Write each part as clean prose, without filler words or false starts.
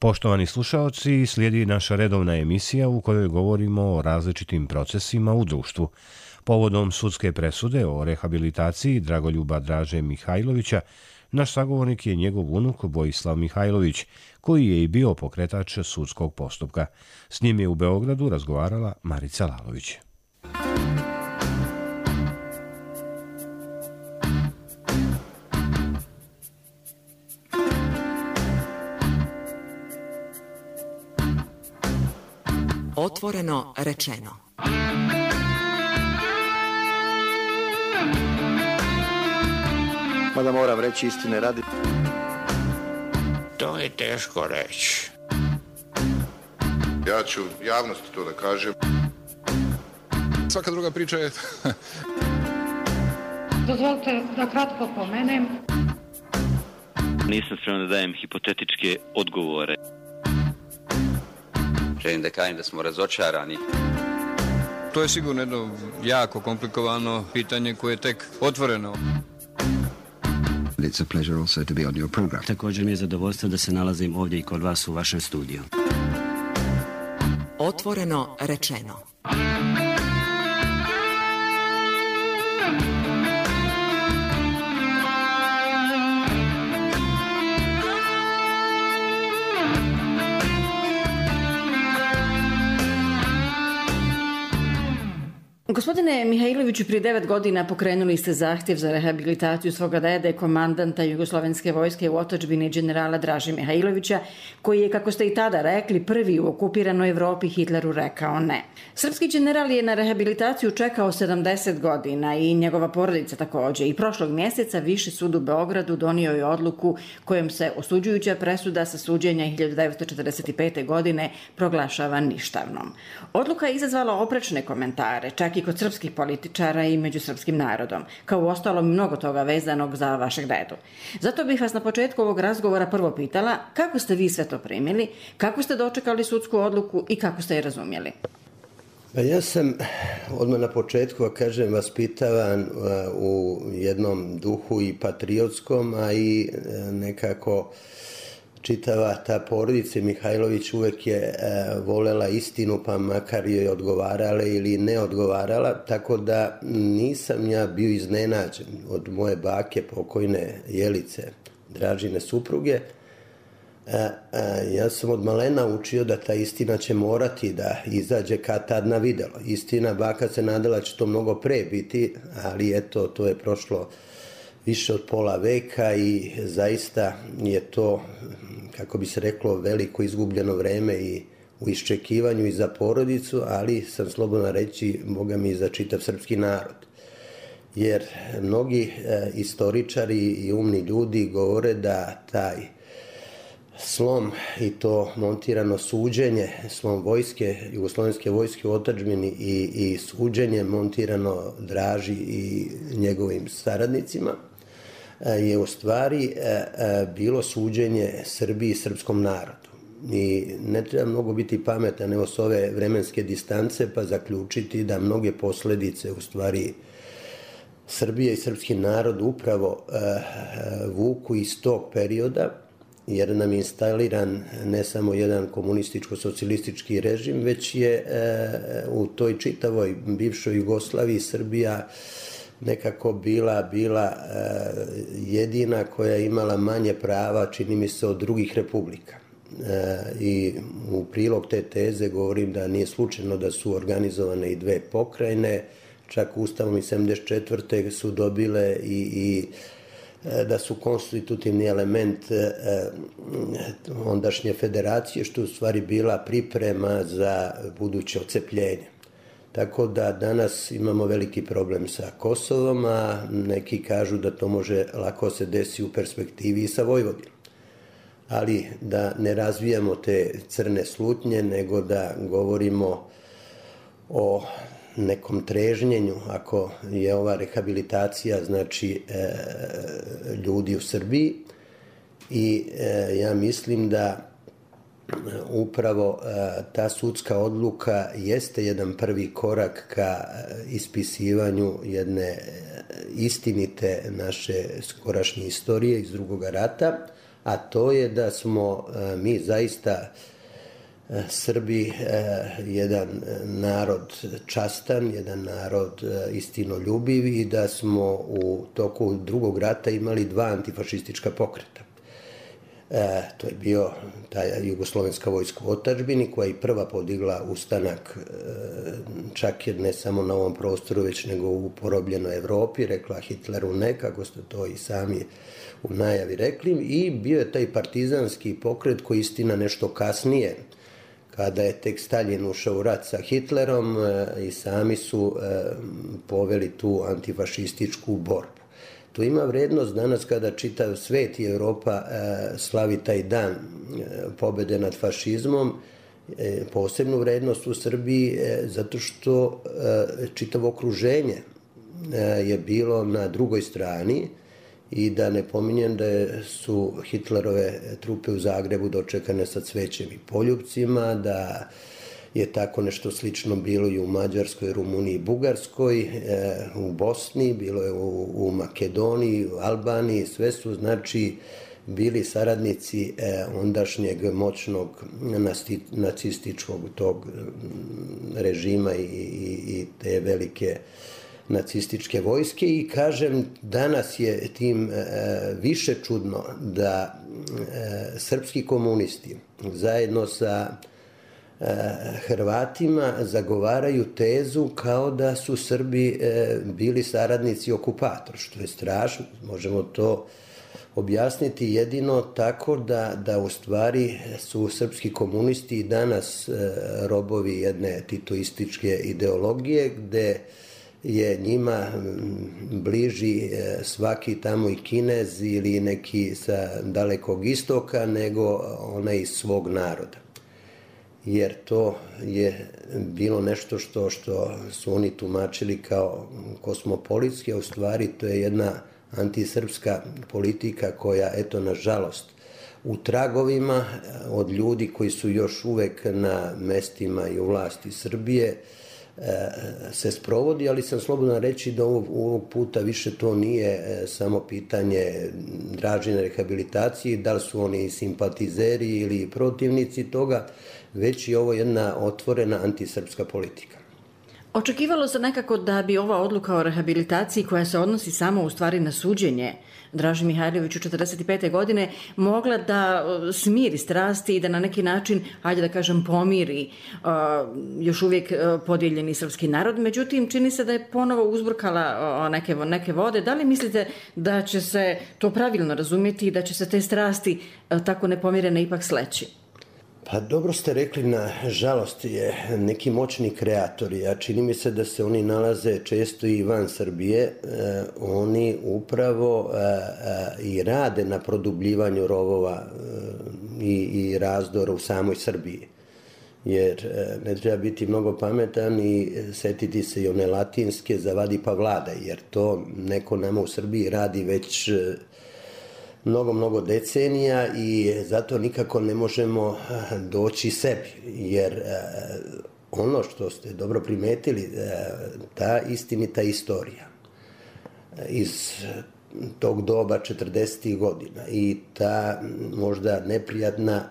Poštovani slušaoci, slijedi naša redovna emisija u kojoj govorimo o različitim procesima u društvu. Povodom sudske presude o rehabilitaciji Dragoljuba Draže Mihajlovića, naš sagovornik je njegov unuk Vojislav Mihajlović, koji je i bio pokretač sudskog postupka. S njim je u Beogradu razgovarala Marica Lalović. Otvoreno rečeno. Mada moram reći istine radi. To je teško reći. Ja ću javnosti to da kažem. Svaka druga priča je... Dozvolite da kratko pomenem. Nisam spreman da dajem hipotetičke odgovore. Želim da kažem da smo razočarani. To je sigurno jedno jako komplikovano pitanje koje je tek otvoreno. It's a pleasure also to be on your program. Također mi je zadovoljstvo da se nalazim ovdje i kod vas u vašem studiju. Otvoreno rečeno. Gospodine Mihajloviću, prije 9 godina pokrenuli ste zahtjev za rehabilitaciju svoga dede, komandanta Jugoslovenske vojske u otadžbini generala Draže Mihajlovića, koji je, kako ste i tada rekli, prvi u okupiranoj Evropi Hitleru rekao ne. Srpski general je na rehabilitaciju čekao 70 godina i njegova porodica također. I prošlog mjeseca Viši sud u Beogradu donio je odluku kojom se osuđujuća presuda sa suđenja 1945. godine proglašava ništavnom. Odluka je izazvala oprečne komentare, čak i kod srpskih političara i među srpskim narodom, kao u ostalom mnogo toga vezanog za vašeg dedu. Zato bih vas na početku ovog razgovora prvo pitala kako ste vi sve to primili, kako ste dočekali sudsku odluku i kako ste je razumjeli. Pa ja sam odmah na početku, kažem, vaspitavan u jednom duhu i patriotskom, a i nekako čitava ta porodica Mihajlović uvek je volela istinu, pa makar joj odgovarala ili ne odgovarala, tako da nisam ja bio iznenađen od moje bake pokojne Jelice, Dražine supruge. Ja sam od malena učio da ta istina će morati da izađe kad tad na videlo. Istina, baka se nadala će to mnogo pre biti, ali eto, to je prošlo više od pola veka i zaista je to, kako bi se reklo, veliko izgubljeno vreme i u iščekivanju i za porodicu, ali sam slobodan reći, Boga mi, i za čitav srpski narod. Jer mnogi istoričari i umni ljudi govore da taj slom i to montirano suđenje, slom vojske, Jugoslovenske vojske u otadžbini i suđenje montirano Draži i njegovim saradnicima, je u stvari bilo suđenje Srbiji i srpskom narodu. I ne treba mnogo biti pametan evo s ove vremenske distance pa zaključiti da mnoge posljedice u stvari Srbije i srpski narod upravo vuku iz tog perioda, jer nam je instaliran ne samo jedan komunističko-socijalistički režim, već je u toj čitavoj bivšoj Jugoslaviji Srbija nekako bila jedina koja je imala manje prava, čini mi se, od drugih republika. I u prilog te teze govorim da nije slučajno da su organizovane i dve pokrajine, čak Ustavom iz 74. su dobile i da su konstitutivni element ondašnje federacije, što u stvari bila priprema za buduće ocepljenje. Tako da danas imamo veliki problem sa Kosovom, a neki kažu da to može lako se desi u perspektivi i sa Vojvodinom. Ali da ne razvijamo te crne slutnje, nego da govorimo o nekom trežnjenju, ako je ova rehabilitacija, znači ljudi u Srbiji. I ja mislim da upravo ta sudska odluka jeste jedan prvi korak ka ispisivanju jedne istinite naše skorašnje istorije iz Drugog rata, a to je da smo mi zaista Srbi jedan narod častan, jedan narod istinoljubiv i da smo u toku drugog rata imali 2 antifašistička pokreta. To je bio ta jugoslovenska vojska u otadžbini koja je prva podigla ustanak čak ne samo na ovom prostoru već nego u porobljenoj Evropi, rekla Hitleru ne, kako ste to i sami u najavi rekli, i bio je taj partizanski pokret koji istina nešto kasnije, kada je tek Staljin ušao u rat sa Hitlerom, i sami su poveli tu antifašističku borbu. To ima vrednost danas kada čitav svet i Evropa slavi taj dan pobede nad fašizmom, posebnu vrednost u Srbiji zato što čitavo okruženje je bilo na drugoj strani i da ne pominjem da su Hitlerove trupe u Zagrebu dočekane sa cvećem i poljupcima, da je tako nešto slično bilo i u Mađarskoj, Rumuniji i Bugarskoj, u Bosni, bilo je u Makedoniji, u Albaniji, sve su znači bili saradnici ondašnjeg moćnog nacističkog tog režima i te velike nacističke vojske. I kažem, danas je tim više čudno da srpski komunisti zajedno sa Hrvatima zagovaraju tezu kao da su Srbi bili saradnici okupator, što je strašno. Možemo to objasniti jedino tako da u stvari su srpski komunisti i danas robovi jedne titoističke ideologije, gde je njima bliži svaki tamo i Kinez ili neki sa dalekog istoka nego onaj iz svog naroda. Jer to je bilo nešto što su oni tumačili kao kosmopolitski, a u stvari to je jedna antisrpska politika koja, eto, nažalost, u tragovima od ljudi koji su još uvek na mestima i u vlasti Srbije se sprovodi, ali sam slobodan reći da ovog puta više to nije samo pitanje Dražine rehabilitacije, da li su oni simpatizeri ili protivnici toga, već je ovo jedna otvorena antisrpska politika. Očekivalo se nekako da bi ova odluka o rehabilitaciji, koja se odnosi samo u stvari na suđenje Draži Mihajloviću 45. godine, mogla da smiri strasti i da na neki način, hajde da kažem, pomiri još uvijek podijeljeni srpski narod. Međutim, čini se da je ponovo uzburkala neke vode. Da li mislite da će se to pravilno razumjeti i da će se te strasti tako nepomirene ipak sleći? Pa dobro ste rekli, na žalost je neki moćni kreatori, a čini mi se da se oni nalaze često i van Srbije, oni upravo i rade na produbljivanju rovova i razdora u samoj Srbiji. Jer ne treba biti mnogo pametan i setiti se i one latinske zavadi pa vladaj, jer to neko nama u Srbiji radi već mnogo decenija i zato nikako ne možemo doći sebi, jer ono što ste dobro primetili, ta istinita istorija iz tog doba 40. godina i ta možda neprijatna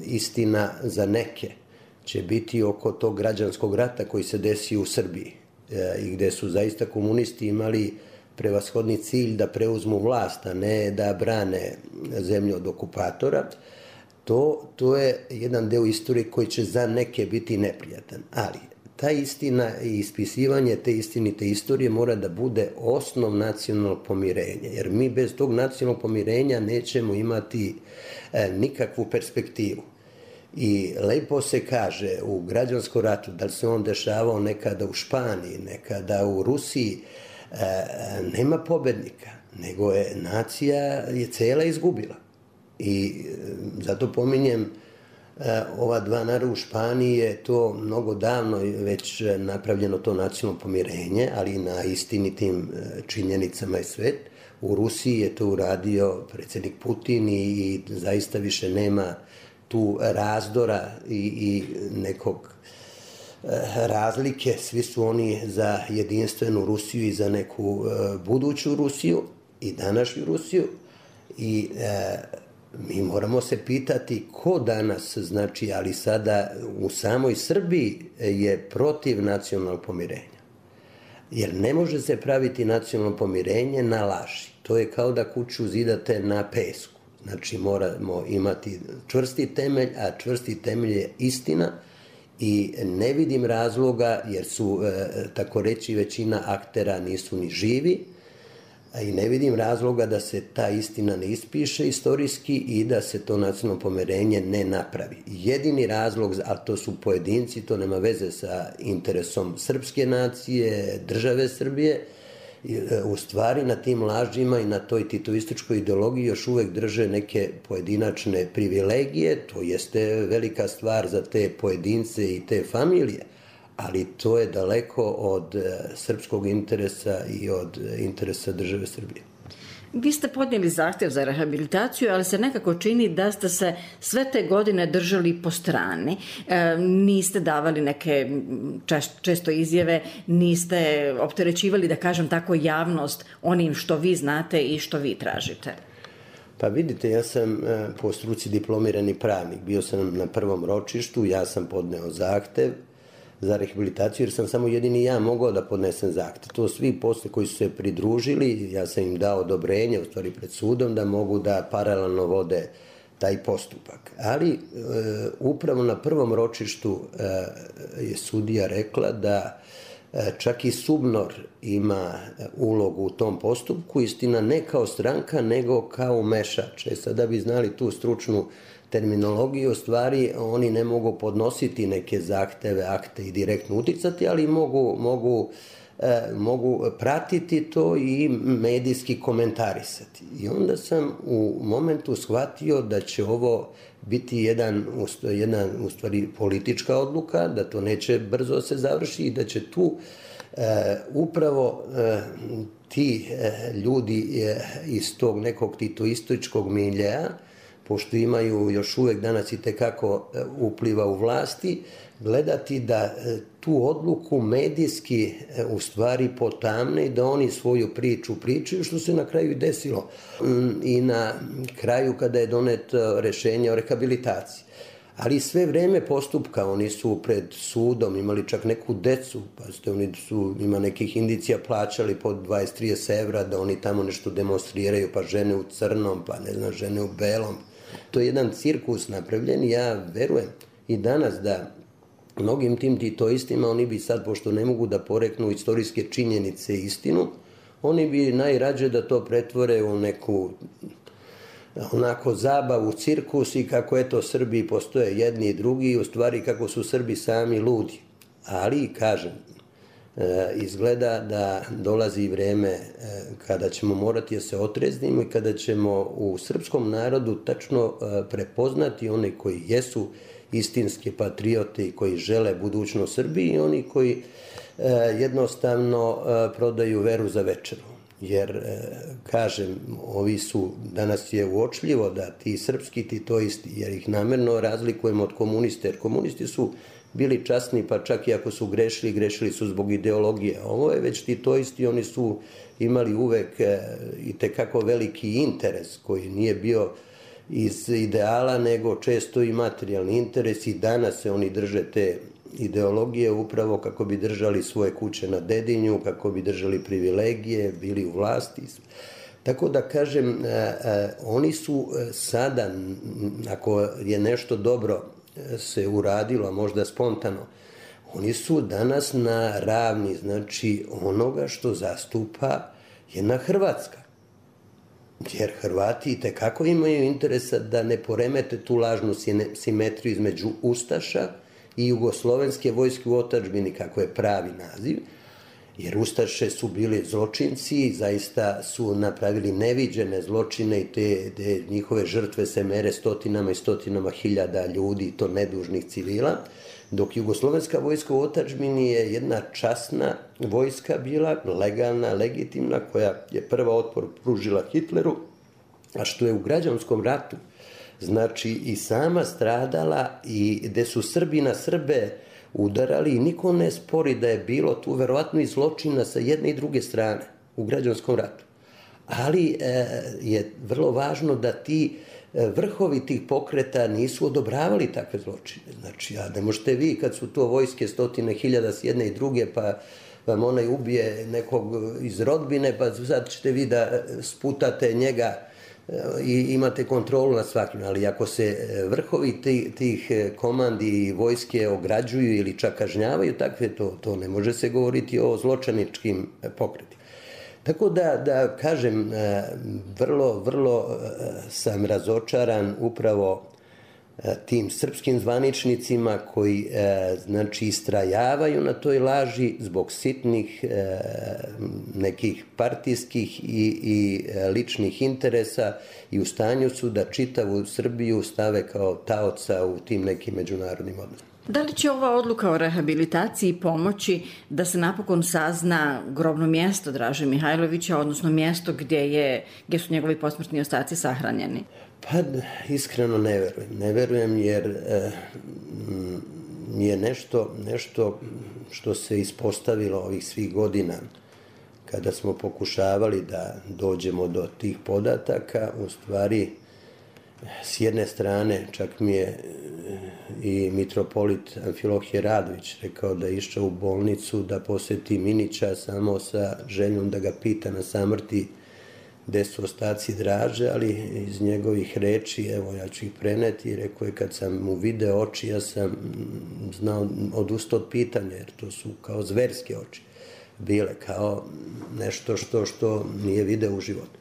istina za neke će biti oko tog građanskog rata koji se desio u Srbiji i gde su zaista komunisti imali prevashodni cilj da preuzmu vlast, a ne da brane zemlju od okupatora. To je jedan deo istorije koji će za neke biti neprijatan. Ali ta istina i ispisivanje te istinite istorije mora da bude osnov nacionalnog pomirenja, jer mi bez tog nacionalnog pomirenja nećemo imati nikakvu perspektivu. I lepo se kaže u građanskom ratu, da li se on dešavao nekada u Španiji, nekada u Rusiji, nema pobednika, nego je nacija je cela izgubila. I zato pominjem ova dva naroda. U Španiji je to mnogo davno već napravljeno to nacionalno pomirenje, ali na istinitim činjenicama i sve. U Rusiji je to uradio predsjednik Putin i zaista više nema tu razdora i nekog razlike, svi su oni za jedinstvenu Rusiju i za neku buduću Rusiju i današnju Rusiju i mi moramo se pitati ko danas, znači, ali sada u samoj Srbiji je protiv nacionalnog pomirenja. Jer ne može se praviti nacionalno pomirenje na laži. To je kao da kuću zidate na pesku. Znači, moramo imati čvrsti temelj, a čvrsti temelj je istina i ne vidim razloga, jer su, tako reći, većina aktera nisu ni živi, i ne vidim razloga da se ta istina ne ispiše istorijski i da se to nacionalno pomirenje ne napravi. Jedini razlog, a to su pojedinci, to nema veze sa interesom srpske nacije, države Srbije, u stvari na tim lažima i na toj titoističkoj ideologiji još uvek drže neke pojedinačne privilegije. To jeste velika stvar za te pojedince i te familije, ali to je daleko od srpskog interesa i od interesa države Srbije. Vi ste podnijeli zahtev za rehabilitaciju, ali se nekako čini da ste se sve te godine držali po strani. Niste davali neke često izjave, niste opterećivali, da kažem tako, javnost onim što vi znate i što vi tražite. Pa vidite, ja sam po struci diplomirani pravnik. Bio sam na prvom ročištu, ja sam podneo zahtev za rehabilitaciju, jer sam samo jedini ja mogao da podnesem zahtev. To svi posle koji su se pridružili, ja sam im dao odobrenje, u stvari pred sudom, da mogu da paralelno vode taj postupak. Ali upravo na prvom ročištu je sudija rekla da čak i SUBNOR ima ulogu u tom postupku, istina ne kao stranka, nego kao umešač. Sada bi znali tu stručnu terminologiju, u stvari oni ne mogu podnositi neke zahteve, akte i direktno uticati, ali mogu pratiti to i medijski komentarisati. I onda sam u momentu shvatio da će ovo biti jedna u stvari politička odluka, da to neće brzo se završi i da će tu upravo ti ljudi iz tog nekog titoističkog miljeja, pošto imaju još uvek danas i tekako upliva u vlasti, gledati da tu odluku medijski u stvari potamne i da oni svoju priču pričaju, što se na kraju i desilo. I na kraju kada je doneto rešenje o rehabilitaciji. Ali sve vreme postupka oni su pred sudom imali čak neku decu, pa oni su, ima nekih indicija, plaćali po 20-30 evra da oni tamo nešto demonstriraju, pa žene u crnom, pa ne znam, žene u belom. To je jedan cirkus napravljen i ja verujem i danas da mnogim tim titoistima oni bi sad, pošto ne mogu da poreknu istorijske činjenice i istinu, oni bi najrađe da to pretvore u neku onako zabavu, cirkus i kako eto Srbiji postoje jedni i drugi, u stvari kako su Srbi sami ludi. Ali, kažem, izgleda da dolazi vreme kada ćemo morati da se otreznimo i kada ćemo u srpskom narodu tačno prepoznati one koji jesu istinske patriote i koji žele budućnost Srbiji i oni koji jednostavno prodaju veru za večeru. Jer, kažem, ovi su, danas je uočljivo da ti srpski titoisti, jer ih namerno razlikujemo od komuniste, jer komunisti su bili časni, pa čak i ako su grešili, grešili su zbog ideologije. Ovo je već titoisti, oni su imali uvek i tekako veliki interes koji nije bio iz ideala, nego često i materijalni interes i danas se oni drže te ideologije upravo kako bi držali svoje kuće na Dedinju, kako bi držali privilegije, bili u vlasti. Tako da kažem, oni su sada, ako je nešto dobro se uradilo, a možda spontano, oni su danas na ravni, znači, onoga što zastupa jedna Hrvatska. Jer Hrvati i tekako imaju interesa da ne poremete tu lažnu simetriju između Ustaša i Jugoslovenske vojske u otadžbini, kako je pravi naziv, jer Ustaše su bili zločinci, zaista su napravili neviđene zločine i te njihove žrtve se mere stotinama i stotinama hiljada ljudi, to nedužnih civila, dok Jugoslovenska vojska u otadžbini je jedna časna vojska bila, legalna, legitimna, koja je prva otpor pružila Hitleru, a što je u građanskom ratu, znači i sama stradala i gde su Srbi na Srbe udarali i niko ne spori da je bilo tu verovatno i zločina sa jedne i druge strane u građanskom ratu. Ali je vrlo važno da ti vrhovi tih pokreta nisu odobravali takve zločine. Znači, a ne možete vi kad su to vojske 100.000 s jedne i druge, pa vam onaj ubije nekog iz rodbine, pa sad ćete vi da sputate njega i imate kontrolu nad svakim. Ali ako se vrhovi tih komandi i vojske ograđuju ili čak kažnjavaju takve, to ne može se govoriti o zločiničkim pokretima. Tako da kažem, vrlo sam razočaran upravo tim srpskim zvaničnicima koji znači istrajavaju na toj laži zbog sitnih nekih partijskih i ličnih interesa i u stanju su da čitavu Srbiju stave kao taoca u tim nekim međunarodnim odnosima. Da li će ova odluka o rehabilitaciji pomoći da se napokon sazna grobno mjesto Draže Mihajlovića, odnosno mjesto gdje su njegovi posmrtni ostaci sahranjeni? Pa iskreno ne verujem. Ne verujem jer je nešto što se ispostavilo ovih svih godina kada smo pokušavali da dođemo do tih podataka, u stvari s jedne strane čak mi je i mitropolit Amfilohije Radović rekao da je išao u bolnicu da posjeti Minića samo sa željom da ga pita na samrti gde su ostaci Draže, ali iz njegovih reči, evo ja ću ih preneti, rekao je kad sam mu video oči, ja sam znao odustao od pitanja, jer to su kao zverske oči bile, kao nešto što nije video u životu.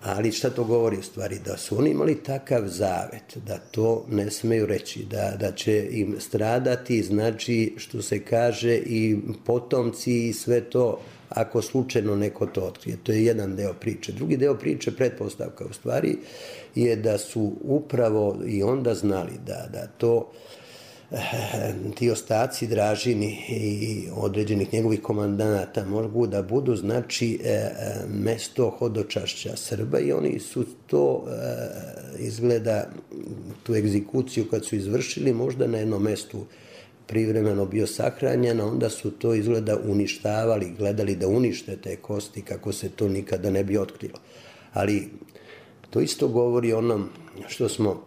Ali šta to govori u stvari? Da su oni imali takav zavet, da to ne smeju reći, da će im stradati, znači što se kaže i potomci i sve to, ako slučajno neko to otkrije. To je jedan deo priče. Drugi deo priče, pretpostavka u stvari, je da su upravo i onda znali da to ti ostaci Dražini i određenih njegovih komandanata mogu da budu, znači, mesto hodočašća Srba i oni su to, izgleda, tu egzekuciju kad su izvršili, možda na jednom mestu privremeno bio sahranjen, a onda su to izgleda uništavali, gledali da unište te kosti kako se to nikada ne bi otkrilo. Ali to isto govori onom što smo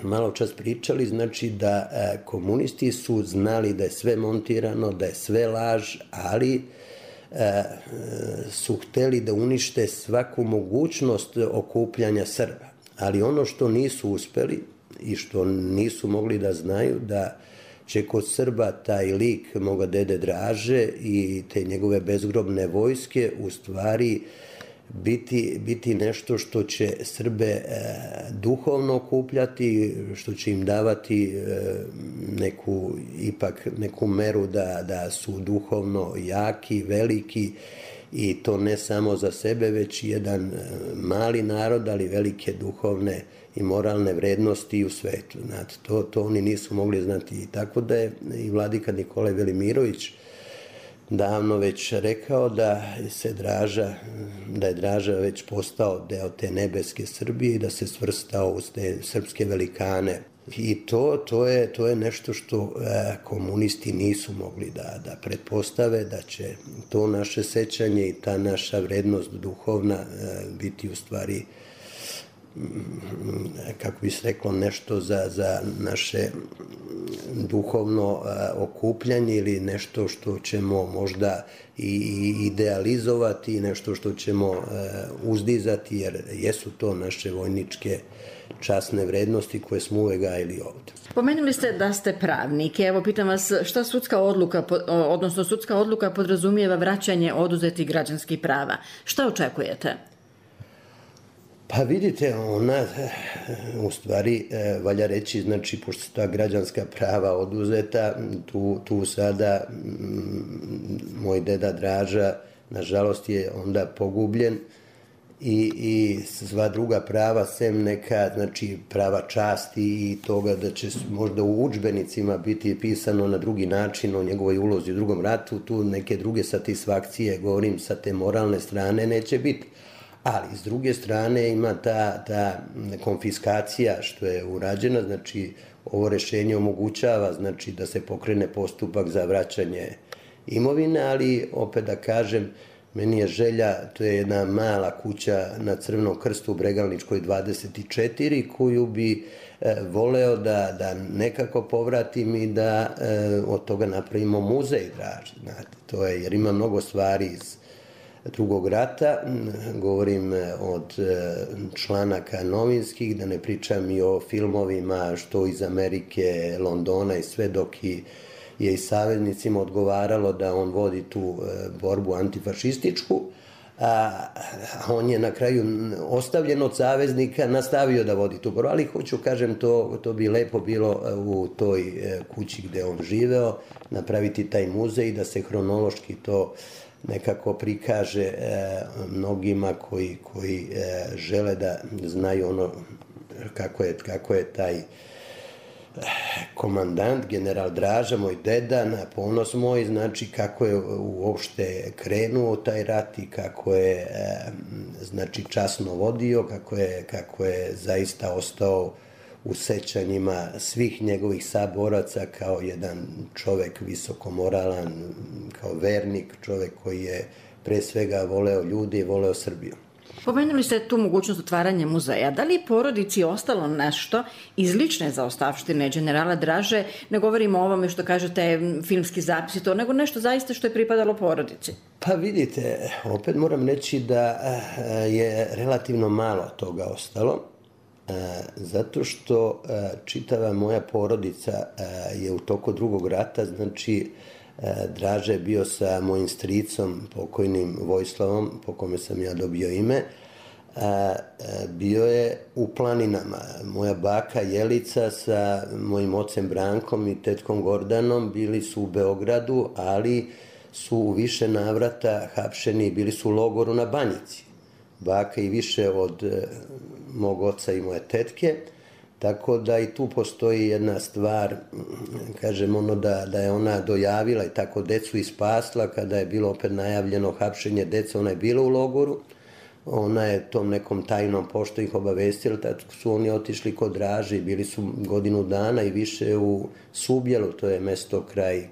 malo čas pričali, znači da komunisti su znali da je sve montirano, da je sve laž, ali su hteli da unište svaku mogućnost okupljanja Srba. Ali ono što nisu uspeli i što nisu mogli da znaju, da će kod Srba taj lik moga dede Draže i te njegove bezgrobne vojske u stvari biti nešto što će Srbe duhovno okupljati, što će im davati neku meru da su duhovno jaki, veliki i to ne samo za sebe, već jedan mali narod, ali velike duhovne i moralne vrednosti u svetu. Znate, to oni nisu mogli znati. I tako da je i vladika Nikolaj Velimirović davno već rekao da je Draža već postao deo te nebeske Srbije i da se svrstao uz te srpske velikane. I to je nešto što komunisti nisu mogli da pretpostave, da će to naše sećanje i ta naša vrednost duhovna biti u stvari, kako bi se reklo, nešto za naše duhovno okupljanje ili nešto što ćemo možda i idealizovati, nešto što ćemo uzdizati, jer jesu to naše vojničke časne vrednosti koje smo uvek gajili ovde. Pomenuli ste da ste pravnik. Evo, pitam vas, šta sudska odluka podrazumijeva vraćanje oduzetih građanskih prava? Šta očekujete? Pa vidite, ona, u stvari, valja reći, znači, pošto su ta građanska prava oduzeta, tu sada moj deda Draža, nažalost, je onda pogubljen i sva druga prava, sem neka, znači, prava časti i toga da će možda u udžbenicima biti pisano na drugi način o njegovoj ulozi u drugom ratu, tu neke druge satisfakcije, govorim, sa te moralne strane, neće biti. Ali, s druge strane, ima ta konfiskacija što je urađena, znači, ovo rešenje omogućava, znači, da se pokrene postupak za vraćanje imovine, ali, opet da kažem, Meni je želja, to je jedna mala kuća na Crvenom krstu u Bregalničkoj 24, koju bi voleo da nekako povratim i da od toga napravimo muzej Draže. Znate, to je, jer ima mnogo stvari iz Drugog rata, govorim od članaka novinskih, da ne pričam i o filmovima što iz Amerike, Londona i sve, dok je i saveznicima odgovaralo da on vodi tu borbu antifašističku, a on je na kraju ostavljen od saveznika, nastavio da vodi tu borbu, ali hoću, kažem, to bi lepo bilo u toj kući gde on živeo, napraviti taj muzej, da se hronološki to nekako prikaže mnogima koji žele da znaju ono kako je taj komandant, general Draža, moj deda, na ponos moj, znači kako je uopšte krenuo taj rat i kako je znači časno vodio, kako je zaista ostao u sećanjima svih njegovih saboraca kao jedan čovek visokomoralan, kao vernik, čovek koji je pre svega voleo ljudi i voleo Srbiju. Pomenuli ste tu mogućnost otvaranja muzeja. Da li je porodici ostalo nešto iz lične zaostavštine generala Draže? Ne govorimo o ovome što kažete filmski zapisi, to, nego nešto zaista što je pripadalo porodici. Pa vidite, opet moram reći da je relativno malo toga ostalo, zato što čitava moja porodica je u toku Drugog rata, znači Draže je bio sa mojim stricom, pokojnim Vojislavom, po kome sam ja dobio ime, bio je u planinama. Moja baka Jelica sa mojim ocem Brankom i tetkom Gordanom bili su u Beogradu, ali su u više navrata hapšeni, bili su u logoru na Banjici. Baka i više od mog oca i moje tetke, tako da i tu postoji jedna stvar, kažem ono da je ona dojavila i tako decu ispasla, kada je bilo opet najavljeno hapšenje dece, ona je bila u logoru, ona je tom nekom tajnom pošto ih obavestila, tako su oni otišli kod Draže i bili su godinu dana i više u Subjelu, to je mesto kraj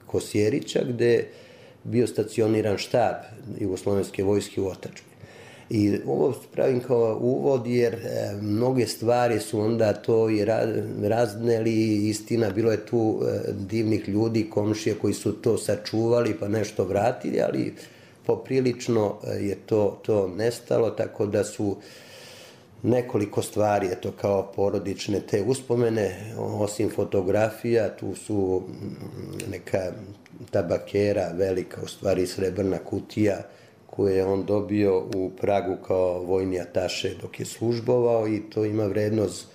Kosjerića, gde je bio stacioniran štab Jugoslovenske vojske u otadžbini. I ovo pravim kao uvod, jer mnoge stvari su onda to i razneli, istina, bilo je tu divnih ljudi, komšije koji su to sačuvali pa nešto vratili, ali poprilično je to nestalo, tako da su nekoliko stvari, eto, kao porodične te uspomene, osim fotografija, tu su neka tabakera, velika, u stvari srebrna kutija, koje je on dobio u Pragu kao vojni ataše dok je službovao, i to ima vrednost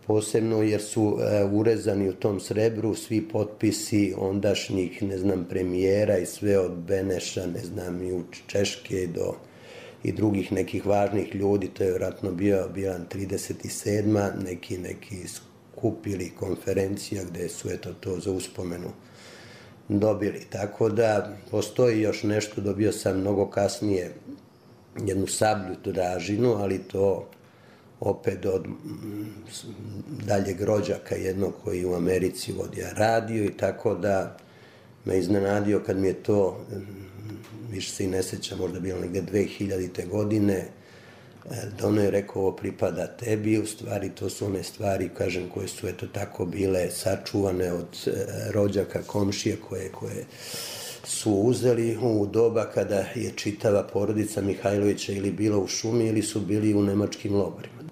posebno jer su urezani u tom srebru svi potpisi ondašnjih, ne znam, premijera i sve od Beneša, ne znam, i u Češke i drugih nekih važnih ljudi. To je vjerojatno bila 37. neki skup ili konferencija gde su to za uspomenu dobili. Tako da postoji još nešto, dobio sam mnogo kasnije jednu sablju Dražinu, ali to opet od daljeg rođaka jednog koji u Americi vodio radio, i tako da me iznenadio kad mi je to, više se i ne sećam, možda bilo negde 2000. godine, da ono je rekao, ovo pripada tebi, u stvari to su one stvari, kažem, koje su eto tako bile sačuvane od rođaka, komšije koje su uzeli u doba kada je čitava porodica Mihajlovića ili bila u šumi ili su bili u nemačkim logorima.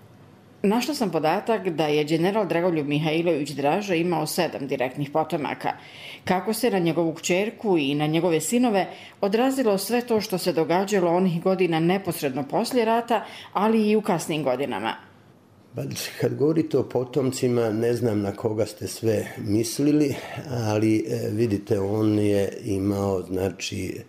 Našla sam podatak da je general Dragoljub Mihajlović Draža imao 7 direktnih potomaka. Kako se na njegovu kćerku i na njegove sinove odrazilo sve to što se događalo onih godina neposredno poslije rata, ali i u kasnim godinama? Kad govorite o potomcima, ne znam na koga ste sve mislili, ali vidite, on je imao, znači,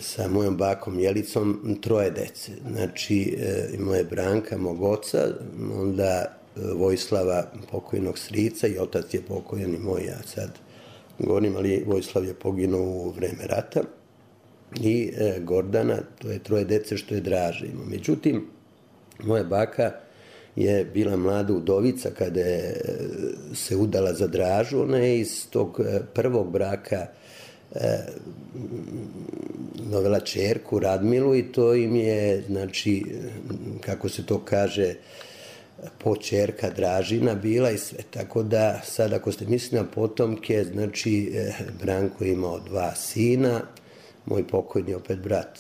sa mojom bakom Jelicom 3 dece. Znači, imao je Branka, mog oca, onda Vojislava, pokojnog strica, i otac je pokojan i moj, ja sad govorim, ali Vojislav je poginuo u vreme rata, i Gordana, to je 3 dece što je Draža imao. Međutim, moja baka je bila mlada udovica kada je se udala za Dražu. Ona je iz tog prvog braka dovela ćerku Radmilu i to im je, znači, kako se to kaže, poćerka Dražina bila i sve. Tako da sad ako ste mislili na potomke, znači Branko je imao 2 sina, moj pokojni opet brat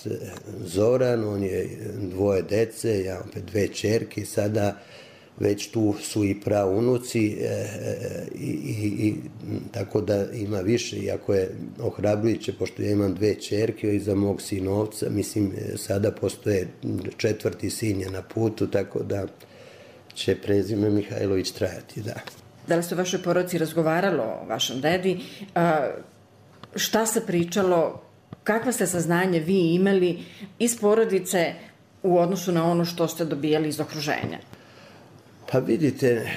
Zoran, on je 2 dece, ja opet 2 ćerke, sada već tu su i praunuci i tako da ima više, iako je ohrabrujuće, pošto ja imam 2 ćerke iza mog sinovca, mislim sada postoje 4. sin je na putu, tako da će prezime Mihajlović trajati, da. Da li se u vašoj porodici razgovaralo o vašem dedi? Šta se pričalo? Kakva ste saznanje vi imali iz porodice u odnosu na ono što ste dobijali iz okruženja? Pa vidite,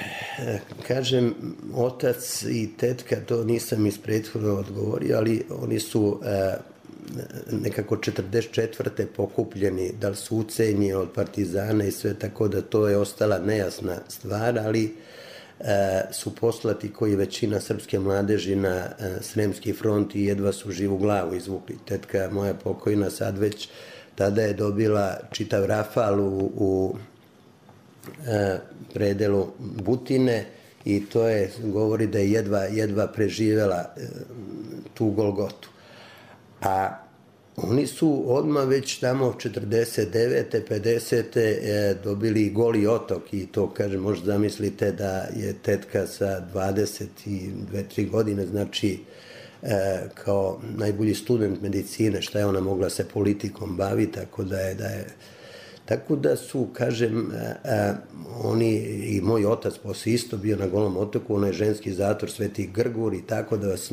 kažem, otac i tetka, to nisam iz prethodno odgovorio, ali oni su nekako 44. pokupljeni, da li su ucenjeni od partizana i sve, tako da to je ostala nejasna stvar, ali su poslati koji većina srpske mladeži na Sremski front i jedva su živu glavu izvukli. Tetka moja pokojna sad već tada je dobila čitav rafal u predelu Butine i to je, govori da je jedva preživela tu golgotu. A oni su odmah već tamo 49. 50. dobili Goli otok i to, kažem, možda zamislite da je tetka sa 22-3 godine, znači kao najbolji student medicine, šta je ona mogla se politikom baviti, tako da su, kažem, oni i moj otac posle isto bio na Golom otoku, onaj ženski zatvor Sveti Grgur i tako da vas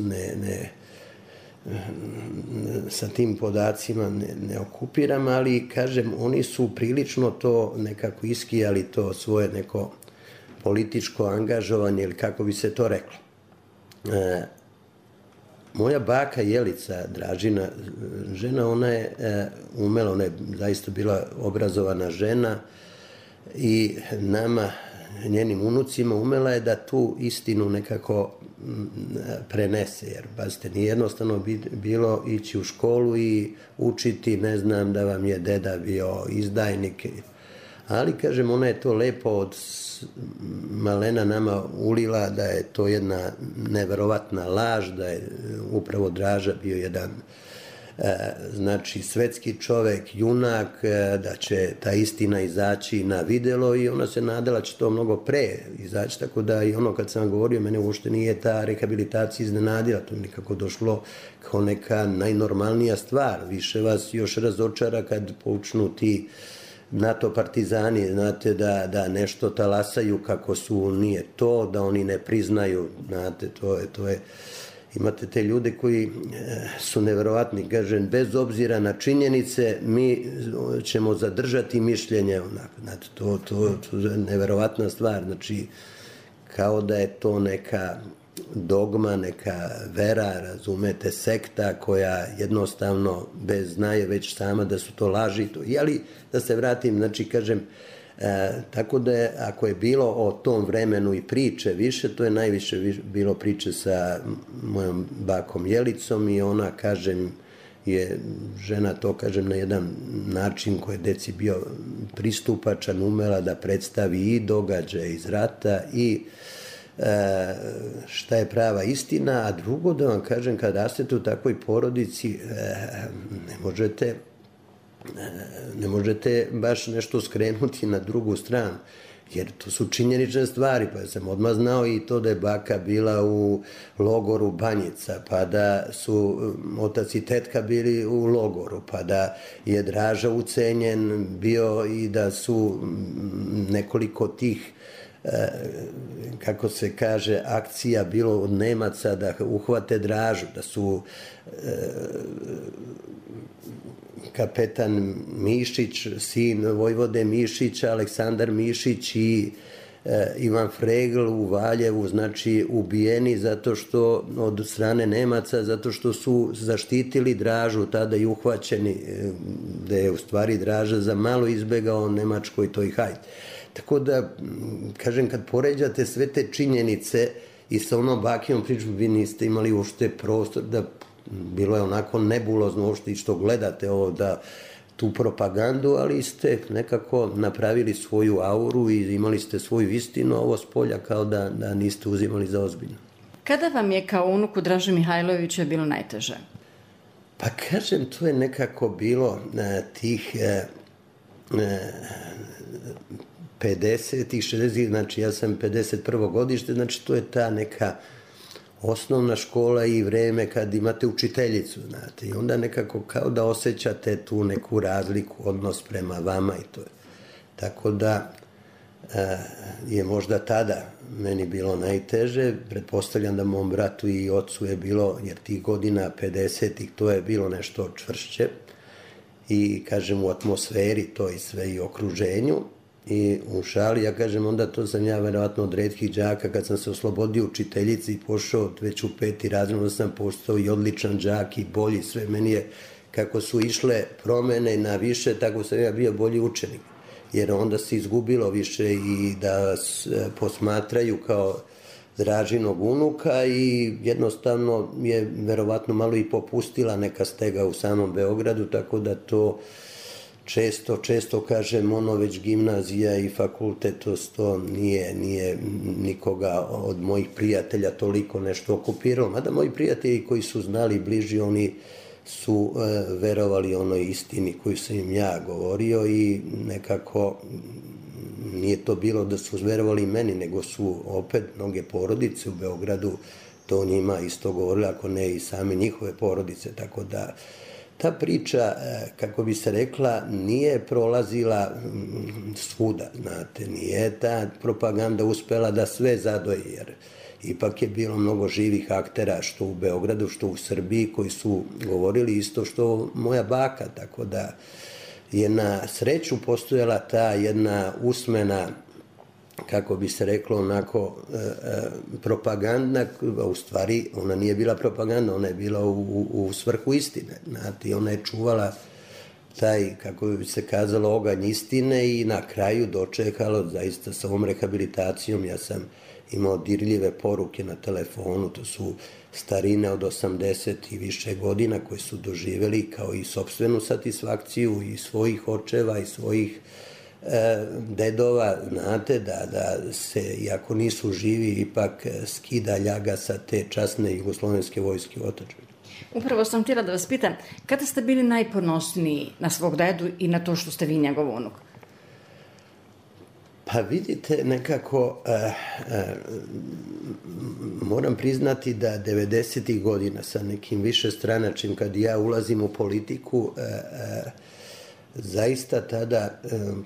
sa tim podacima ne okupiram, ali, kažem, oni su prilično to nekako iskijali, to svoje neko političko angažovanje ili kako bi se to reklo. Moja baka Jelica Dražina, žena, ona je umela, ona je zaista bila obrazovana žena i nama, njenim unucima, umela je da tu istinu nekako prenese, jer, pazite, nije jednostavno bilo ići u školu i učiti, ne znam, da vam je deda bio izdajnik, ali, kažem, ona je to lepo od malena nama ulila, da je to jedna neverovatna laž, da je upravo Draža bio jedan, znači, svetski čovek, junak, da će ta istina izaći na videlo i ona se nadala će to mnogo pre izaći, tako da i ono kad sam govorio, mene uopšte nije ta rehabilitacija iznenadila, to je nekako došlo kao neka najnormalnija stvar, više vas još razočara kad počnu ti NATO partizani, znate, da nešto talasaju kako su, nije to, da oni ne priznaju, znate, to je, imate te ljude koji su neverovatni, kažem, bez obzira na činjenice, mi ćemo zadržati mišljenje, znate, to je neverovatna stvar, znači, kao da je to neka dogma, neka vera, razumete, sekta koja jednostavno znaje već sama da su to laži. Ali da se vratim, znači, kažem, tako da je, ako je bilo o tom vremenu i priče više, to je najviše bilo priče sa mojom bakom Jelicom i ona, kažem, je žena to, kažem, na jedan način koji je deci bio pristupačan, umela da predstavi i događaje iz rata i šta je prava istina, a drugo da vam kažem, kad rastete u takvoj porodici, ne možete baš nešto skrenuti na drugu stranu, jer to su činjenične stvari, pa sam odmah znao i to da je baka bila u logoru Banjica, pa da su otac i tetka bili u logoru, pa da je Draža ucenjen bio i da su nekoliko tih, kako se kaže, akcija bilo od Nemaca da uhvate Dražu, da su kapetan Mišić, sin vojvode Mišića, Aleksandar Mišić i Ivan Fregl u Valjevu, znači ubijeni zato što od strane Nemaca, zato što su zaštitili Dražu, tada i uhvaćeni, da je u stvari Draža za malo izbegao Nemačkoj toj hajde. Tako da, kažem, kad poređate sve te činjenice i sa onom bakijom pričom, vi niste imali uopšte prostor da bilo je onako nebulozno uopšte i što gledate ovo da tu propagandu, ali ste nekako napravili svoju auru i imali ste svoju istinu, ovo s polja kao da niste uzimali za ozbiljno. Kada vam je kao unuku Draže Mihajlovića bilo najteže? Pa kažem, to je nekako bilo tih 50-ih, 60-ih, znači ja sam 51. godište, znači to je ta neka osnovna škola i vreme kad imate učiteljicu, znate, i onda nekako kao da osjećate tu neku razliku, odnos prema vama i to je. Tako da je možda tada meni bilo najteže, pretpostavljam da mom bratu i ocu je bilo, jer tih godina 50-ih to je bilo nešto čvršće i kažem u atmosferi to i sve i okruženju i u šali, ja kažem onda to sam ja verovatno od retkih đaka kad sam se oslobodio učiteljici i pošao već u 5. razred, onda sam postao i odličan đak i bolji, sve meni je kako su išle promene na više, tako sam ja bio bolji učenik. Jer onda se izgubilo više i da vas posmatraju kao Dražinog unuka i jednostavno je verovatno malo i popustila neka stega u samom Beogradu, tako da to često kažem, ono već gimnazija i fakultet, to nije nikoga od mojih prijatelja toliko nešto okupiralo. Mada moji prijatelji koji su znali bliži, oni su verovali onoj istini koju sam im ja govorio i nekako nije to bilo da su verovali meni, nego su opet mnoge porodice u Beogradu to njima isto govorili, ako ne i same njihove porodice, tako da ta priča, kako bi se rekla, nije prolazila svuda, znate, nije ta propaganda uspela da sve zadoji, jer ipak je bilo mnogo živih aktera, što u Beogradu, što u Srbiji, koji su govorili isto što moja baka, tako da je na sreću postojala ta jedna usmena, kako bi se reklo, onako propaganda, u stvari ona nije bila propaganda, ona je bila u svrhu istine, znate, ona je čuvala taj, kako bi se kazalo, oganj istine i na kraju dočekalo zaista sa ovom rehabilitacijom. Ja sam imao dirljive poruke na telefonu, to su starine od 80 i više godina koje su doživjeli kao i sopstvenu satisfakciju i svojih očeva i svojih dedova, znate, da se, iako nisu živi, ipak skida ljaga sa te časne jugoslovenske vojske u otadžbini. Upravo sam htjela da vas pitam, kada ste bili najponosniji na svog dedu i na to što ste vi njegov unuk? Pa vidite, nekako moram priznati da 90. godina sa nekim višestranačnim, kad ja ulazim u politiku, zaista tada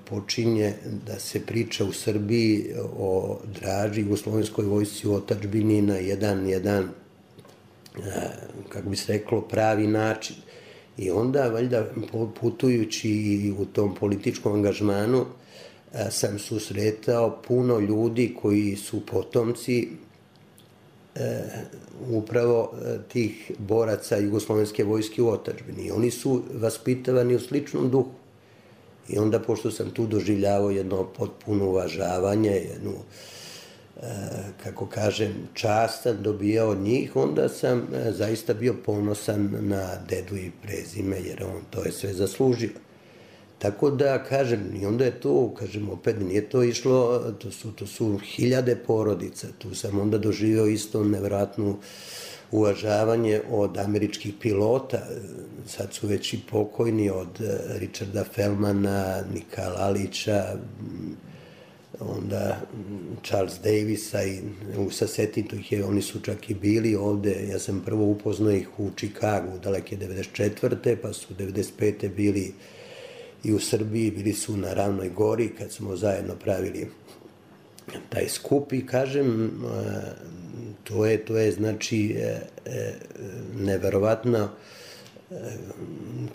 počinje da se priča u Srbiji o Draži, jugoslovenskoj vojsci u otadžbini na jedan kako bi se reklo, pravi način. I onda, valjda, putujući u tom političkom angažmanu, sam susretao puno ljudi koji su potomci upravo tih boraca jugoslovenske vojske u otadžbini. Oni su vaspitavani u sličnom duhu. I onda, pošto sam tu doživljavao jedno potpuno uvažavanje, jednu, kako kažem, čast sam dobijao od njih, onda sam zaista bio ponosan na dedu i prezime, jer on to je sve zaslužio. Tako da, kažem, i onda je to, kažem, opet nije to išlo, to su hiljade porodica, tu sam onda doživio isto nevjerojatno uvažavanje od američkih pilota, sad su već i pokojni, od Richarda Feldmana, Nika Lalića, onda Charles Davisa i sa Setintu ih je, oni su čak i bili ovde, ja sam prvo upoznao ih u Čikagu, daleke 94. pa su 95. bili i u Srbiji, bili su na Ravnoj gori kad smo zajedno pravili taj skup i kažem, to je znači neverovatno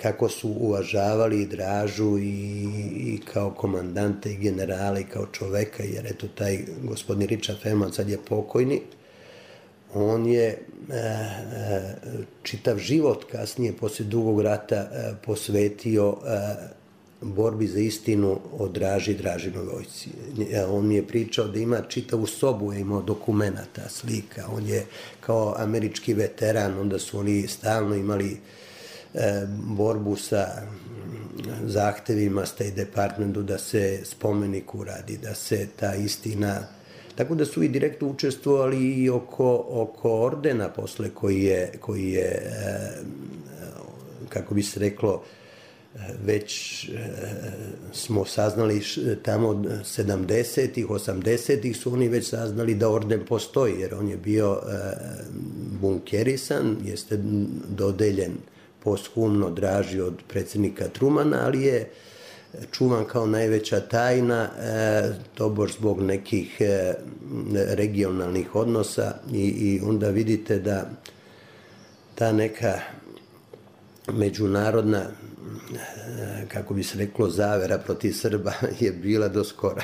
kako su uvažavali Dražu i kao komandante i generale i kao čoveka, jer eto taj gospodin Richard Feldman sad je pokojni, on je čitav život kasnije, posle Dugog rata, posvetio borbi za istinu o Dražinoj vojsci. On mi je pričao da ima čitavu sobu, je imao dokumenata, slika. On je kao američki veteran, onda su oni stalno imali borbu sa zahtevima State Departmentu da se spomenik uradi, da se ta istina... Tako da su i direktno učestvovali i oko ordena posle koji je kako bi se reklo, već smo saznali tamo 70-ih, 80-ih su oni već saznali da orden postoji, jer on je bio bunkerisan, jeste dodeljen posthumno Draži od predsjednika Trumana, ali je čuvan kao najveća tajna, tobož zbog nekih regionalnih odnosa i onda vidite da ta neka međunarodna, kako bi se reklo, zavera protiv Srba je bila do skora.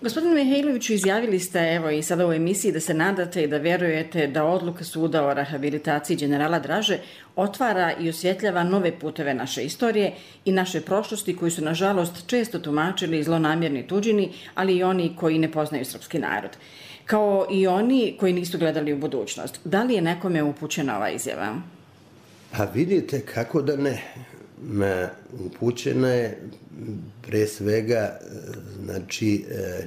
Gospodine Mihajloviću, izjavili ste, evo i sada u emisiji, da se nadate i da verujete da odluka suda o rehabilitaciji generala Draže otvara i osvjetljava nove puteve naše istorije i naše prošlosti koji su, nažalost, često tumačili zlonamjerni tuđini, ali i oni koji ne poznaju srpski narod. Kao i oni koji nisu gledali u budućnost. Da li je nekome upućena ova izjava? A vidite, kako da ne. Upućena je pre svega znači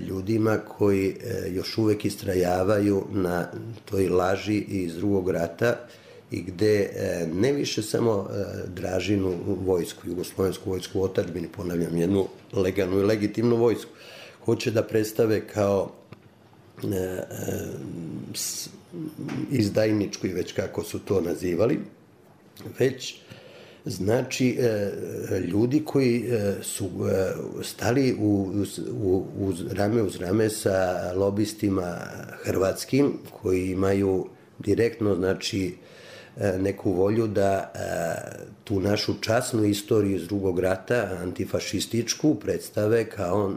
ljudima koji još uvek istrajavaju na toj laži iz Drugog rata i gde ne više samo Dražinu vojsku, jugoslovensku vojsku u otadžbini, ponavljam, jednu legalnu i legitimnu vojsku, hoće da predstave kao izdajničku i već kako su to nazivali, već znači ljudi koji su stali rame uz rame sa lobistima hrvatskim, koji imaju direktno znači neku volju da tu našu časnu istoriju iz Drugog rata, antifašističku, predstave kao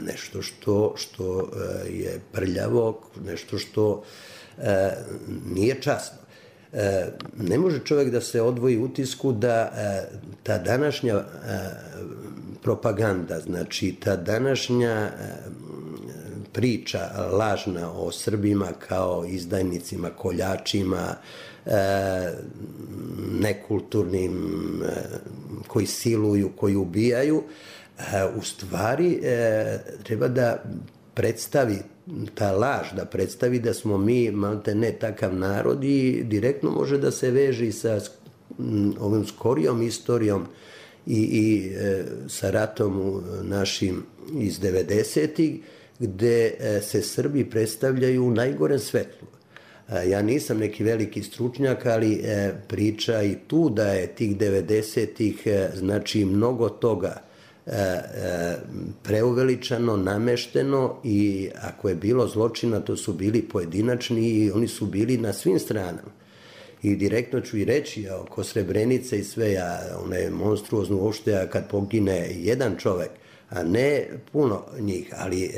nešto što je prljavo, nešto što nije časno. Ne može čovjek da se odvoji utisku da ta današnja propaganda, znači ta današnja priča lažna o Srbima kao izdajnicima, koljačima, nekulturnim, koji siluju, koji ubijaju, u stvari treba da predstavi ta laž, da predstavi da smo mi malte ne takav narod i direktno može da se veže sa ovim skorijom istorijom i sa ratom našim iz 90-ih, gde se Srbi predstavljaju u najgorem svetlu. Ja nisam neki veliki stručnjak, ali priča i tu da je tih 90-ih znači mnogo toga preuveličano, namešteno i ako je bilo zločina, to su bili pojedinačni i oni su bili na svim stranama. I direktno ću i reći, oko Srebrenice i sve, ona je monstruozno uopšte kad pogine jedan čovek, a ne puno njih, ali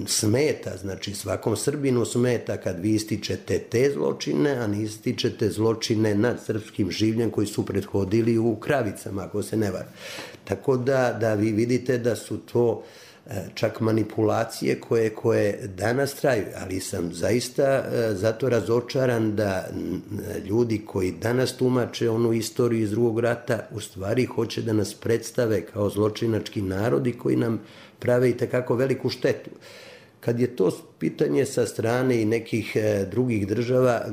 smeta, znači svakom Srbinu smeta kad vi ističete te zločine, a ne ističete zločine nad srpskim življem koji su prethodili u Kravicama, ako se ne vara. Tako da vi vidite da su to čak manipulacije koje danas traju, ali sam zaista zato razočaran da ljudi koji danas tumače onu istoriju iz Drugog rata u stvari hoće da nas predstave kao zločinački narodi koji nam prave i takako veliku štetu. Kad je to pitanje sa strane i nekih drugih država,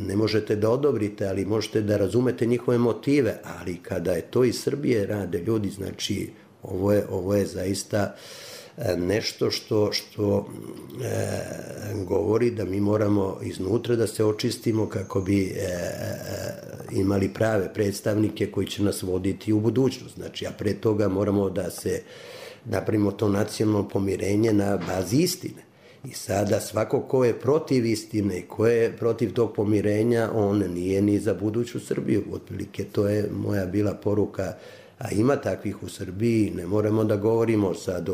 ne možete da odobrite, ali možete da razumete njihove motive, ali kada je to iz Srbije rade ljudi, znači ovo je zaista nešto što govori da mi moramo iznutra da se očistimo kako bi imali prave predstavnike koji će nas voditi u budućnost. Znači, a pre toga moramo da se napravimo to nacionalno pomirenje na bazi istine. I sada svako ko je protiv istine i ko je protiv tog pomirenja, on nije ni za buduću Srbiju. Otprilike, to je moja bila poruka, a ima takvih u Srbiji. Ne moramo da govorimo sad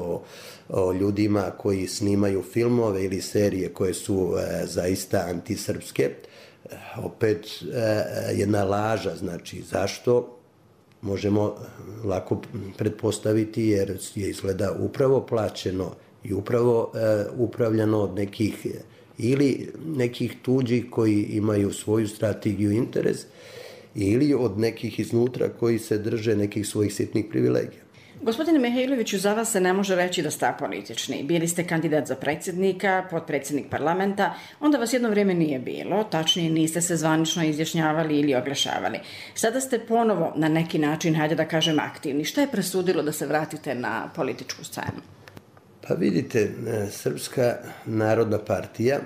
o ljudima koji snimaju filmove ili serije koje su zaista antisrpske. Opet jedna laža, znači zašto možemo lako pretpostaviti jer je izgleda upravo plaćeno i upravo upravljano od nekih ili nekih tuđih koji imaju svoju strategiju i interes ili od nekih iznutra koji se drže nekih svojih sitnih privilegija. Gospodine Mihajloviću, za vas se ne može reći da ste apolitični. Bili ste kandidat za predsjednika, potpredsjednik parlamenta, onda vas jedno vrijeme nije bilo, tačnije niste se zvanično izjašnjavali ili oglašavali. Sada ste ponovo na neki način, hajde da kažem, aktivni. Šta je presudilo da se vratite na političku scenu? Pa vidite, Srpska narodna partija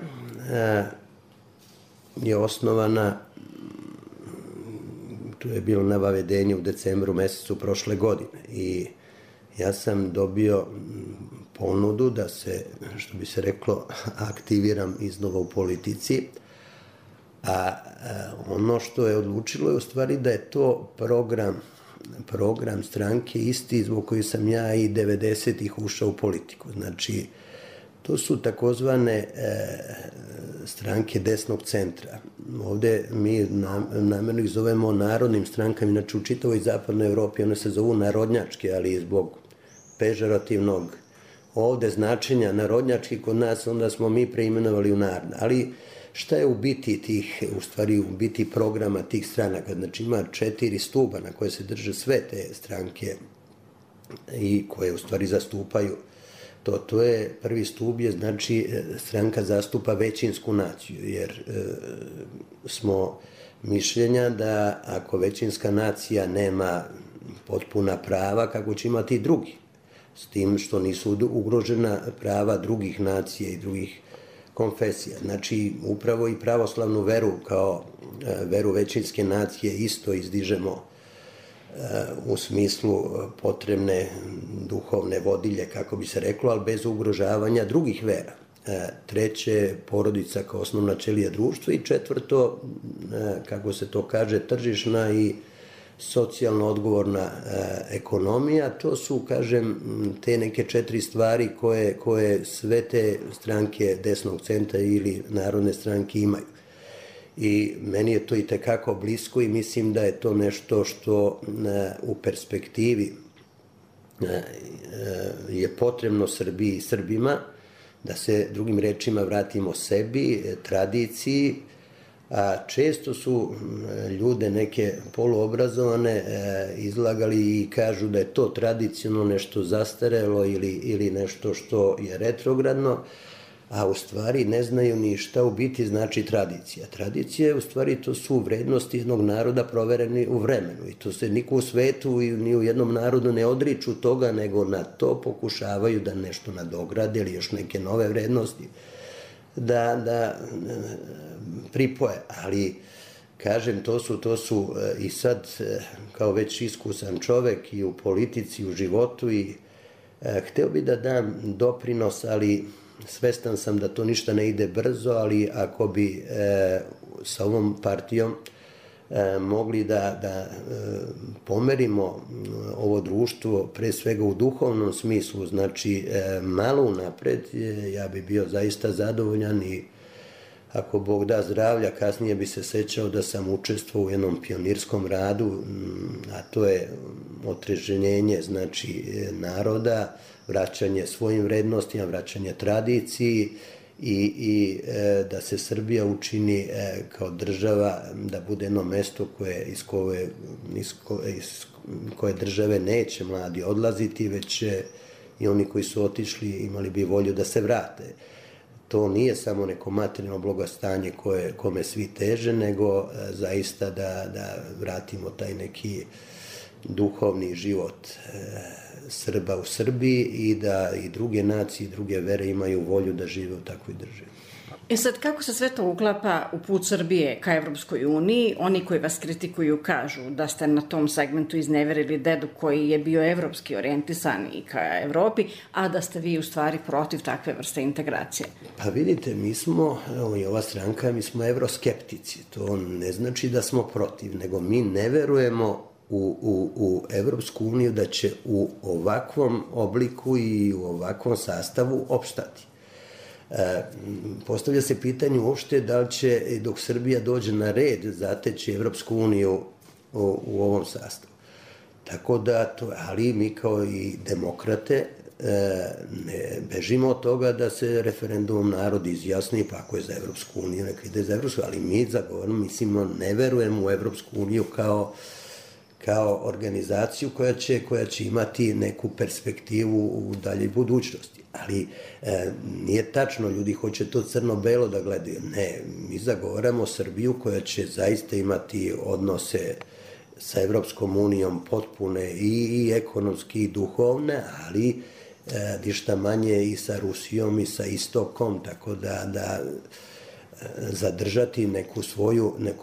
je osnovana, to je bilo navavedenje u decembru mesecu prošle godine i ja sam dobio ponudu da se, što bi se reklo, aktiviram iznova u politici, a ono što je odlučilo je u stvari da je to program stranke isti zbog koji sam ja i 90-ih ušao u politiku. Znači, to su takozvane stranke desnog centra. Ovde mi namjerno ih zovemo narodnim strankama, inače u čitavoj zapadnoj Evropi one se zovu narodnjačke, ali zbog pežorativnog ovde značenja narodnjački kod nas, onda smo mi preimenovali u narodne. Ali šta je u biti tih, u stvari u biti programa tih stranaka? Znači ima 4 stuba na koje se drže sve te stranke i koje u stvari zastupaju. To je prvi stub je, znači, stranka zastupa većinsku naciju, jer smo mišljenja da ako većinska nacija nema potpuna prava, kako će imati i drugi, s tim što nisu ugrožena prava drugih nacija i drugih konfesija. Znači, upravo i pravoslavnu veru kao veru većinske nacije isto izdižemo u smislu potrebne duhovne vodilje, kako bi se reklo, ali bez ugrožavanja drugih vera. Treće, porodica kao osnovna ćelija društva i četvrto, kako se to kaže, tržišna i socijalno odgovorna ekonomija. To su, kažem, te neke 4 stvari koje sve te stranke desnog centra ili narodne stranke imaju. I meni je to i tekako blisko i mislim da je to nešto što u perspektivi je potrebno Srbiji i Srbima, da se drugim rečima vratimo sebi, tradiciji, a često su ljude neke poluobrazovane izlagali i kažu da je to tradicionalno nešto zastarelo ili nešto što je retrogradno, a u stvari ne znaju ni šta u biti znači tradicija. Tradicija, u stvari, to su vrednosti jednog naroda provereni u vremenu i to se niko u svetu i ni u jednom narodu ne odriču toga, nego na to pokušavaju da nešto nadograde ili još neke nove vrednosti da pripoje. Ali, kažem, to su i sad, kao već iskusan čovek i u politici, i u životu, i hteo bi da dam doprinos, ali svestan sam da to ništa ne ide brzo, ali ako bi sa ovom partijom mogli da pomerimo ovo društvo, pre svega u duhovnom smislu, znači malo unapred, ja bi bio zaista zadovoljan i ako Bog da zdravlja, kasnije bi se sećao da sam učestvovao u jednom pionirskom radu, a to je otreženjenje, znači, naroda, vraćanje svojim vrednostima, vraćanje tradiciji i da se Srbija učini kao država, da bude jedno mesto iz koje države neće mladi odlaziti, već i oni koji su otišli imali bi volju da se vrate. To nije samo neko materijalno blagostanje kome svi teže, nego zaista da vratimo taj neki duhovni život Srba u Srbiji i da i druge nacije i druge vere imaju volju da žive u takvoj državi. Sad, kako se sve to uklapa u put Srbije ka Evropskoj uniji? Oni koji vas kritikuju kažu da ste na tom segmentu izneverili dedu koji je bio evropski orijentisan i ka Evropi, a da ste vi u stvari protiv takve vrste integracije. Pa vidite, mi smo, i ova stranka, mi smo evroskeptici. To ne znači da smo protiv, nego mi ne verujemo u Evropsku uniju da će u ovakvom obliku i u ovakvom sastavu opstati. Postavlja se pitanje uopšte da li će, dok Srbija dođe na red, zateći Evropsku uniju u ovom sastavu. Tako da, ali mi kao i demokrate ne bežimo od toga da se referendumom narod izjasni, pa ako je za Evropsku uniju, neka ide za Evropsku, ali mi zagovorimo, mislimo, ne verujemo u Evropsku uniju kao organizaciju koja će imati neku perspektivu u daljoj budućnosti. Ali nije tačno, ljudi hoće to crno-belo da gledaju. Ne, mi zagovaramo Srbiju koja će zaista imati odnose sa Evropskom unijom potpune i ekonomski i duhovne, ali ništa manje i sa Rusijom i sa Istokom, tako da zadržati neku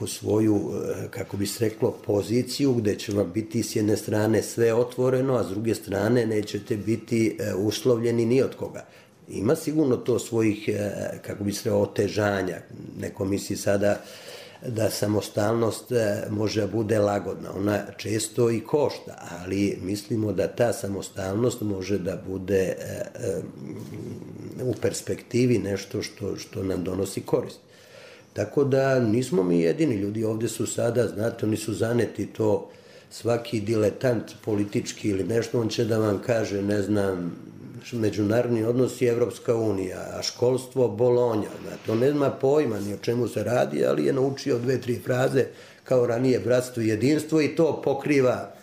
svoju, kako bi se reklo, poziciju gde će vam biti s jedne strane sve otvoreno, a s druge strane nećete biti uslovljeni ni od koga. Ima sigurno to svojih, kako bi se reklo, otežanja. Neko misli sada da samostalnost može da bude lagodna. Ona često i košta, ali mislimo da ta samostalnost može da bude u perspektivi nešto što nam donosi korist. Tako da nismo mi jedini, ljudi ovde su sada, znate, oni su zaneti to, svaki diletant politički ili nešto, on će da vam kaže, ne znam, međunarodni odnos i Evropska unija, a školstvo Bolonja, znate, on ne zna pojma ni o čemu se radi, ali je naučio 2-3 fraze kao ranije bratstvo i jedinstvo i to pokriva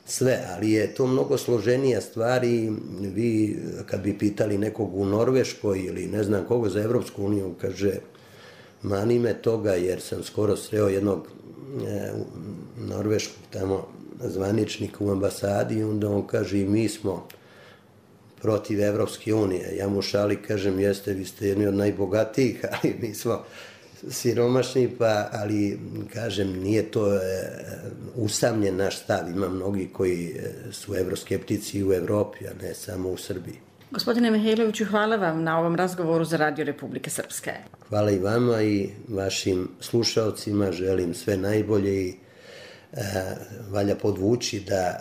sve, ali je to mnogo složenija stvar i vi kad bi pitali nekog u Norveškoj ili ne znam koga za Evropsku uniju, kaže, mani me toga jer sam skoro sreo jednog norveškog tamo zvaničnika u ambasadi i onda on kaže i mi smo protiv Evropske unije. Ja mu šali kažem jeste, vi ste jedni od najbogatijih, ali mi smo siromašni, ali kažem nije to usamljen naš stav. Ima mnogi koji su evroskeptici u Evropi, a ne samo u Srbiji. Gospodine Mihajloviću, hvala vam na ovom razgovoru za Radio Republike Srpske. Hvala i vama i vašim slušaocima, želim sve najbolje i valja podvući da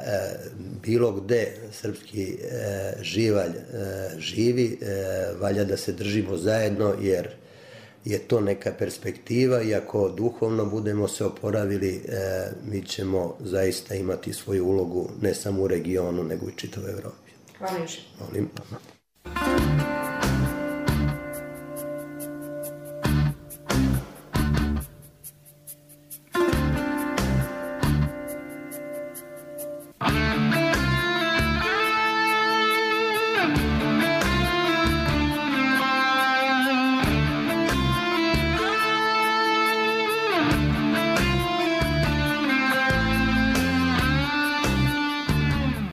bilo gde srpski živalj živi, valja da se držimo zajedno jer je to neka perspektiva i ako duhovno budemo se oporavili, mi ćemo zaista imati svoju ulogu ne samo u regionu, nego i čitavoj Evropi. Hvala još. Molim.